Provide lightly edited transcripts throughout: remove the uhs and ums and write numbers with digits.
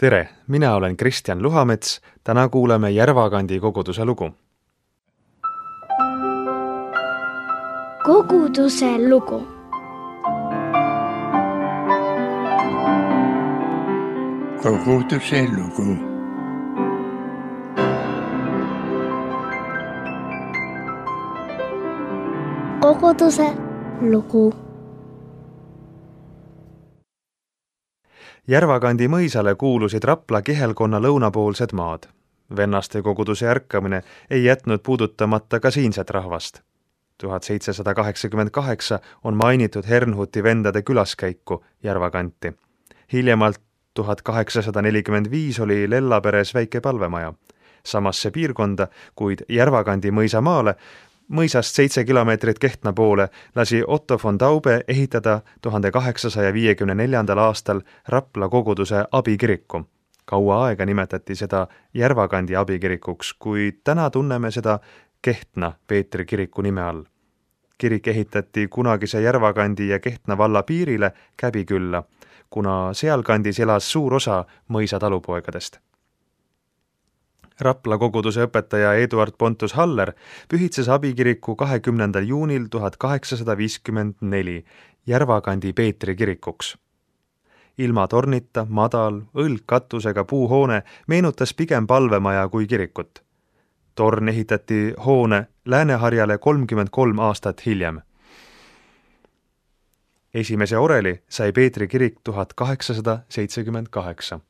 Tere, mina olen Kristjan Luhamets, täna kuuleme Järvakandi koguduse lugu. Koguduse lugu. Koguduse lugu. Koguduse lugu. Järvakandi mõisale kuulusid Rapla kihelkonna lõunapoolsed maad. Vennaste koguduse ärkamine ei jätnud puudutamata ka siinset rahvast. 1788 on mainitud Hernhuti vendade külaskäiku Järvakanti. Hiljemalt 1845 oli Lellaperes väike palvemaja. Samasse piirkonda, kuid Järvakandi mõisamaale, mõisast 7 kilomeetrit Kehtna poole, lasi Otto von Taube ehitada 1854. aastal Rapla koguduse abikiriku. Kaua aega nimetati seda Järvakandi abikirikuks, kuid täna tunneme seda Kehtna Peetri kiriku nime all. Kirik ehitati kunagise Järvakandi ja Kehtna valla piirile Käbikülla, kuna sealkandis elas suur osa mõisa talupoegadest. Rapla koguduse õpetaja Eduard Pontus Haller pühitses abikiriku 20. juunil 1854 Järvakandi Peetri kirikuks. Ilma tornita, madal, õlgkatusega puuhoone meenutas pigem palvemaja kui kirikut. Torn ehitati hoone Lääneharjale 33 aastat hiljem. Esimese oreli sai Peetri kirik 1878.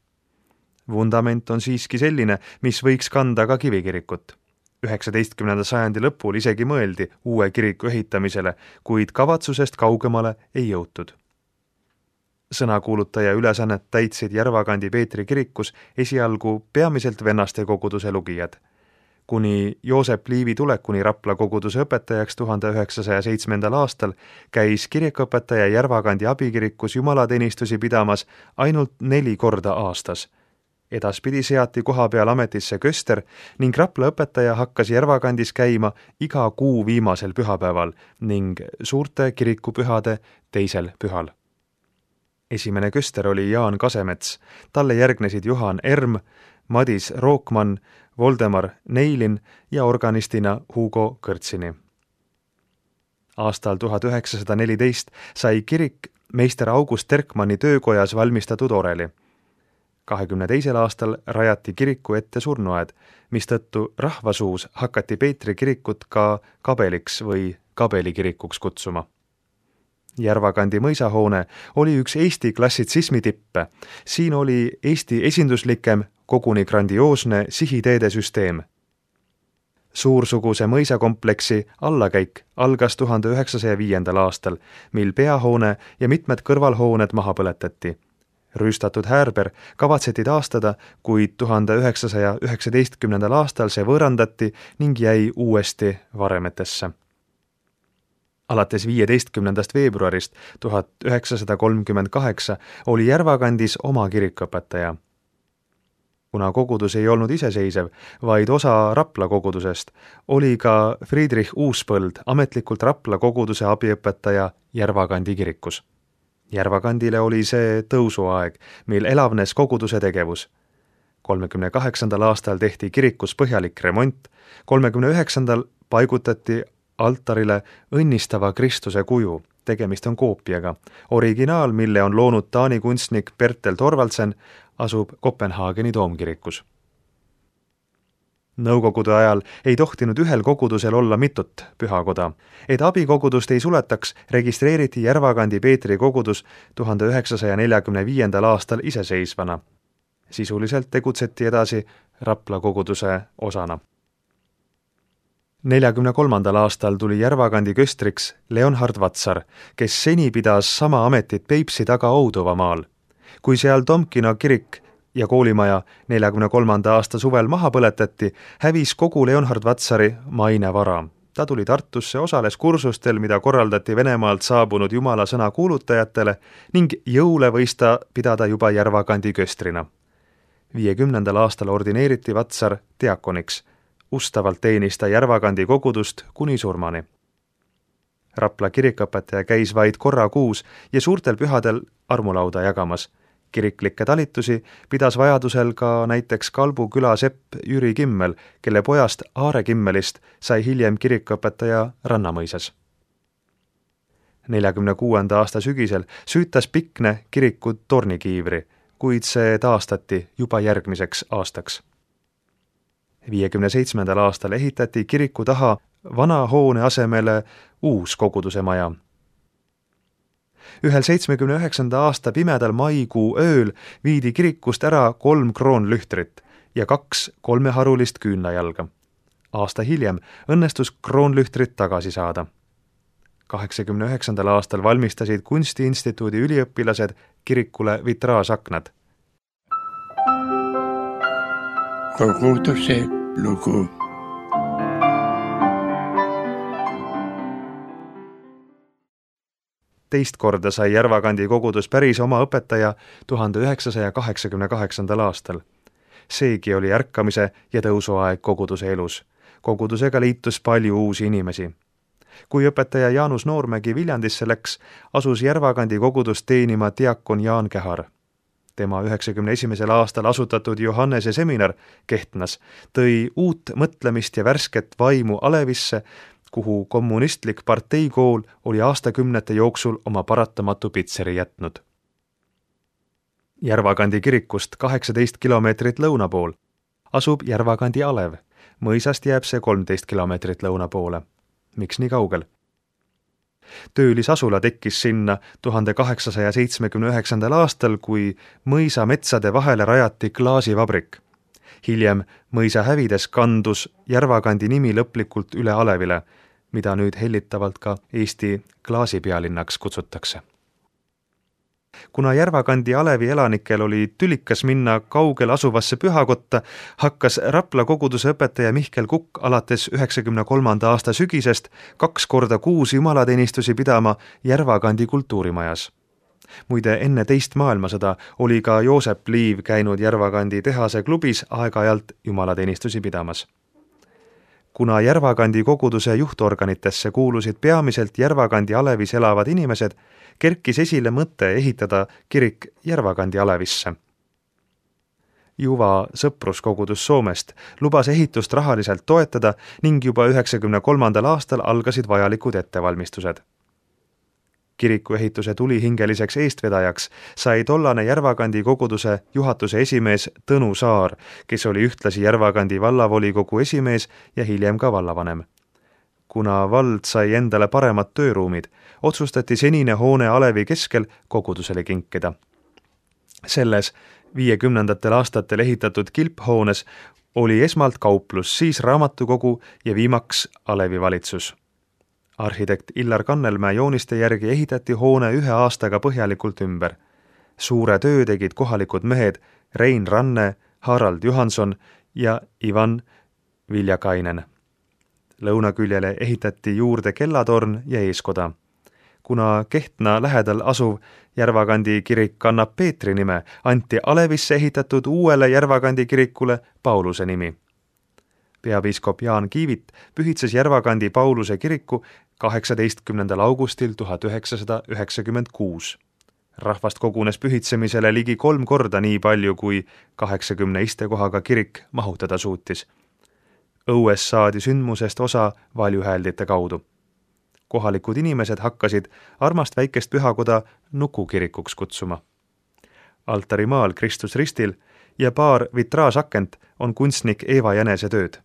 Vundament on siiski selline, mis võiks kanda ka kivikirikut. 19. sajandi lõpul isegi mõeldi uue kiriku ehitamisele, kuid kavatsusest kaugemale ei jõutud. Sõnakuulutaja ülesannet täitsid Järvakandi Peetri kirikus esialgu peamiselt vennaste koguduse lugijad. Kuni Joosep Liivi tulekuni Rapla koguduse õpetajaks 1907. aastal käis kirikuõpetaja Järvakandi abikirikus jumalateenistusi pidamas ainult 4 korda aastas. Edaspidi seati koha peal ametisse köster ning Rapla õpetaja hakkas Järvakandis käima iga kuu viimasel pühapäeval ning suurte kirikupühade teisel pühal. Esimene köster oli Jaan Kasemets, talle järgnesid Johan Erm, Madis Rookmann, Voldemar Neilin ja organistina Hugo Kõrtsini. Aastal 1914 sai kirik meister August Terkmanni töökojas valmistatud oreli. 22. aastal rajati kiriku ette surnuaed, mistõttu rahvasuus hakati Peetri kirikut ka Kabeliks või Kabelikirikuks kutsuma. Järvakandi mõisahoone oli üks Eesti klassitsismi tippe. Siin oli Eesti esinduslikem, koguni grandioosne sihiteede süsteem. Suursuguse mõisakompleksi allakäik algas 1905. aastal, mil peahoone ja mitmed kõrvalhooned maha põletati. Rüüstatud häärber kavatseti taastada, kuid 1919. aastal see võõrandati ning jäi uuesti varemetesse. Alates 15. veebruarist 1938 oli Järvakandis oma kirikuõpetaja. Kuna kogudus ei olnud iseseisev, vaid osa Rapla kogudusest, oli ka Friedrich Uuspõld ametlikult Rapla koguduse abiõpetaja Järvakandi kirikus. Järvakandile oli see tõusuaeg, mil elavnes koguduse tegevus. 38. aastal tehti kirikus põhjalik remont, 39. paigutati altarile õnnistava Kristuse kuju, tegemist on koopiaga. Originaal, mille on loonud Taani kunstnik Bertel Thorvaldsen, asub Kopenhaageni toomkirikus. Nõukogude ajal ei tohtinud ühel kogudusel olla mitut pühakoda. Et abikogudust ei suletaks, registreeriti Järvakandi Peetri kogudus 1945. aastal iseseisvana. Sisuliselt tegutseti edasi Rapla koguduse osana. 43. aastal tuli Järvakandi köstriks Leonhard Vatsar, kes seni pidas sama ametit Peipsi taga Ouduvamaal. Kui seal Tomkino kirik ja koolimaja 43. aasta suvel maha põletati, hävis kogu Leonhard Vatsari maine vara. Ta tuli Tartusse, osales kursustel, mida korraldati Venemaalt saabunud jumala sõna kuulutajatele ning jõule võis ta pidada juba Järvakandi köstrina. 50. aastal ordineeriti Vatsar diakoniks. Ustavalt teenis ta Järvakandi kogudust kuni surmani. Rapla kirikuõpetaja käis vaid korra kuus ja suurtel pühadel armulauda jagamas. Kiriklikke talitusi pidas vajadusel ka näiteks Kalbu küla sepp Jüri Kimmel, kelle pojast Aare Kimmelist sai hiljem kirikuõpetaja Rannamõisas. 46. aasta sügisel süütas Pikne kiriku tornikiivri, kuid see taastati juba järgmiseks aastaks. 57. aastal ehitati kiriku taha vana hoone asemele uus koguduse maja. Ühel 79. aasta pimedal maikuu ööl viidi kirikust ära 3 kroonlühtrit ja 2 kolmeharulist küünlajalga. Aasta hiljem õnnestus kroonlühtrit tagasi saada. 89. aastal valmistasid Kunstiinstituudi üliõpilased kirikule vitraažaknad. Koguduse lugu. Teist korda sai Järvakandi kogudus päris oma õpetaja 1988. aastal. Seegi oli ärkamise ja tõusuaeg koguduse elus. Kogudusega liitus palju uusi inimesi. Kui õpetaja Jaanus Noormägi Viljandisse läks, asus Järvakandi kogudust teenima diakon Jaan Kehar. Tema 91. aastal asutatud Johannese seminar Kehtnas tõi uut mõtlemist ja värsket vaimu Alevisse, kuhu kommunistlik parteikool oli aastakümnete jooksul oma paratamatu pitseri jätnud. Järvakandi kirikust 18 kilomeetrit lõuna pool asub Järvakandi alev. Mõisast jääb see 13 kilomeetrit lõuna poole. Miks nii kaugel? Töölisasula tekkis sinna 1879. aastal, kui mõisa metsade vahele rajati klaasivabrik. Hiljem mõisa hävides kandus Järvakandi nimi lõplikult üle alevile, mida nüüd hellitavalt ka Eesti klaasipealinnaks kutsutakse. Kuna Järvakandi alevi elanikel oli tülikas minna kaugel asuvasse pühakotta, hakkas Rapla koguduse õpetaja Mihkel Kukk alates 93. aasta sügisest 2 korda kuus jumalateenistusi pidama Järvakandi kultuurimajas. Muide, enne teist maailmasõda oli ka Joosep Liiv käinud Järvakandi tehase klubis aeg-ajalt jumalateenistusi pidamas. Kuna Järvakandi koguduse juhtorganitesse kuulusid peamiselt Järvakandi alevis elavad inimesed, kerkis esile mõte ehitada kirik Järvakandi alevisse. Juva sõpruskogudus Soomest lubas ehitust rahaliselt toetada ning juba 93. aastal algasid vajalikud ettevalmistused. Kiriku ehituse tulihingeliseks eestvedajaks sai tollane Järvakandi koguduse juhatuse esimees Tõnu Saar, kes oli ühtlasi Järvakandi vallavolikogu esimees ja hiljem ka vallavanem. Kuna vald sai endale paremad tööruumid, otsustati senine hoone alevi keskel kogudusele kinkida. Selles 50. aastatel ehitatud kilphoones oli esmalt kauplus, siis raamatukogu ja viimaks alevi valitsus. Arhitekt Illar Kannelmäe jooniste järgi ehitati hoone 1 aastaga põhjalikult ümber. Suure töö tegid kohalikud mehed Rein Ranne, Harald Johanson ja Ivan Viljakainen. Lõunaküljele ehitati juurde kellatorn ja eeskoda. Kuna Kehtna lähedal asuv Järvakandi kirik kannab Peetri nime, anti alevisse ehitatud uuele Järvakandi kirikule Pauluse nimi. Peapiiskop Jaan Kiivit pühitses Järvakandi Pauluse kiriku 18. augustil 1996. Rahvast kogunes pühitsemisele ligi 3 korda nii palju, kui 80 istekohaga kirik mahutada suutis. Õues saadi sündmusest osa valjuhääldite kaudu. Kohalikud inimesed hakkasid armast väikest pühakoda Nukukirikuks kutsuma. Altarimaal Kristus ristil ja paar vitraažakent on kunstnik Eeva Jänese tööd.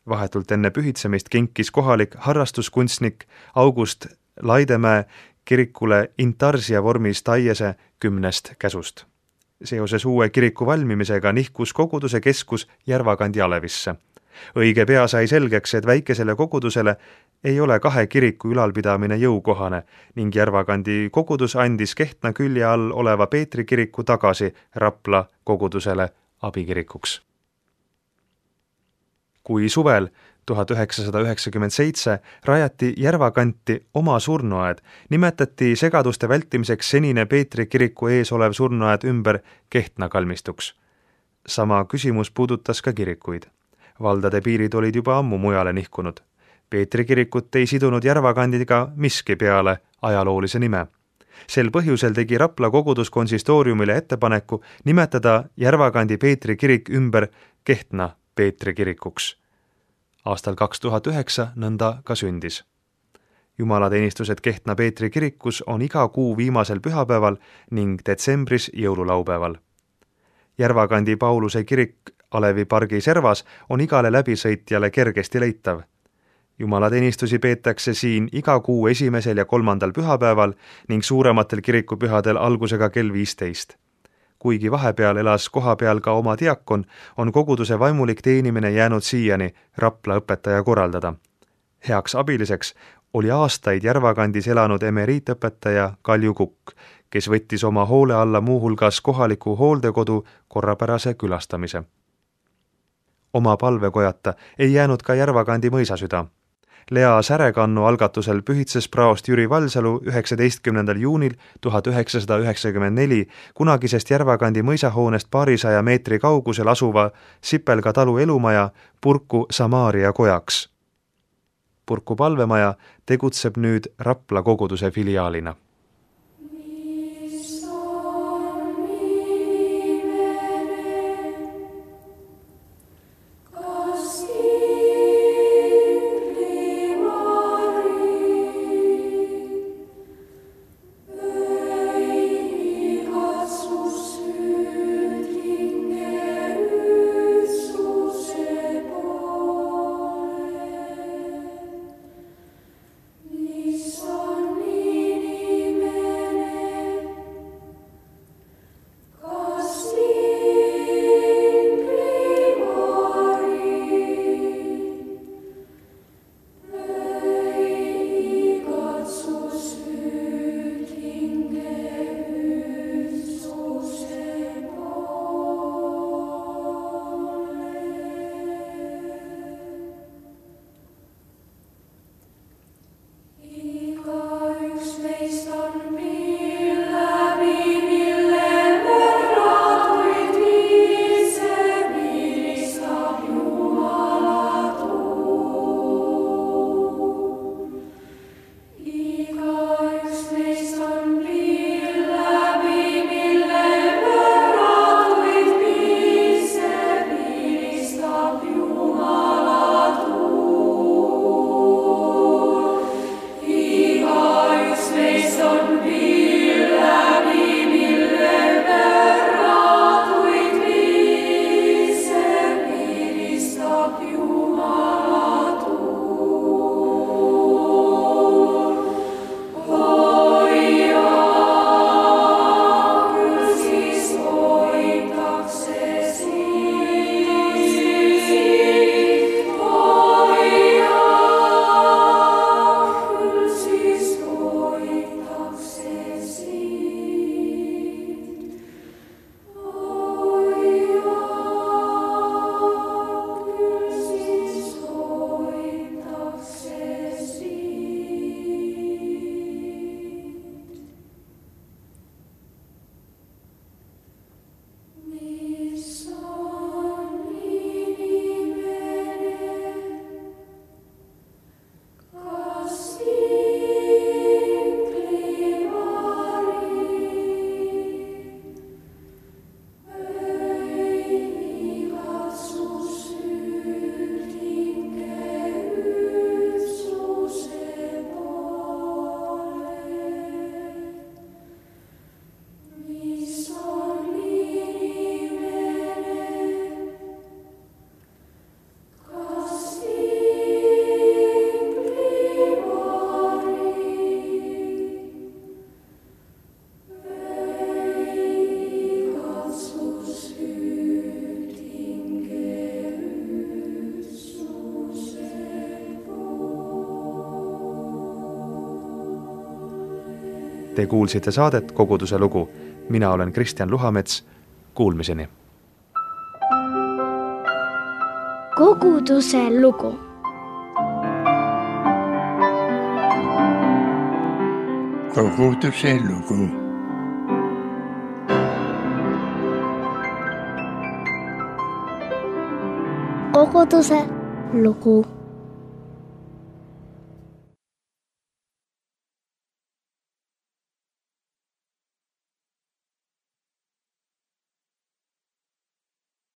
Vahetult enne pühitsemist kinkis kohalik harrastuskunstnik August Laidemäe kirikule intarsia vormis taiese 10 käsust. Seoses uue kiriku valmimisega nihkus koguduse keskus Järvakandi alevisse. Õige pea sai selgeks, et väikesele kogudusele ei ole 2 kiriku ülalpidamine jõukohane ning Järvakandi kogudus andis Kehtna külje all oleva Peetri kiriku tagasi Rapla kogudusele abikirikuks. Kui suvel 1997 rajati Järvakanti oma surnuaed, nimetati segaduste vältimiseks senine Peetri kiriku ees olev surnuaed ümber Kehtna kalmistuks. Sama küsimus puudutas ka kirikuid. Valdade piirid olid juba ammu mujale nihkunud. Peetri kirikut ei sidunud Järvakandiga miski peale ajaloolise nime. Sel põhjusel tegi Rapla kogudus konsistooriumile ettepaneku nimetada Järvakandi Peetri kirik ümber Kehtna Peetri kirikuks. Aastal 2009 nõnda ka sündis. Jumalateenistused Kehtna Peetri kirikus on iga kuu viimasel pühapäeval ning detsembris jõululaupäeval. Järvakandi Pauluse kirik Alevi pargi servas on igale läbisõitjale kergesti leitav. Jumalateenistusi peetakse siin iga kuu 1. ja 3. pühapäeval ning suurematel kirikupühadel algusega kell 15. Kuigi vahepeal elas kohapeal ka oma diakon, on koguduse vaimulik teenimine jäänud siiani Rapla õpetaja korraldada. Heaks abiliseks oli aastaid Järvakandis elanud emeriitõpetaja Kalju Kukk, kes võttis oma hoole alla muuhulgas kohaliku hooldekodu korrapärase külastamise. Oma palvekojata ei jäänud ka Järvakandi mõisasüda. Lea Särekannu algatusel pühitses praost Jüri Valsalu 19. juunil 1994 kunagisest Järvakandi mõisahoonest paarisaja meetri kaugusel asuva Sipelga talu elumaja Purku Samaaria kojaks. Purku palvemaja tegutseb nüüd Rapla koguduse filiaalina. Te kuulsite saadet Koguduse lugu. Mina olen Kristjan Luhamets. Kuulmiseni. Koguduse lugu. Koguduse lugu. Koguduse lugu.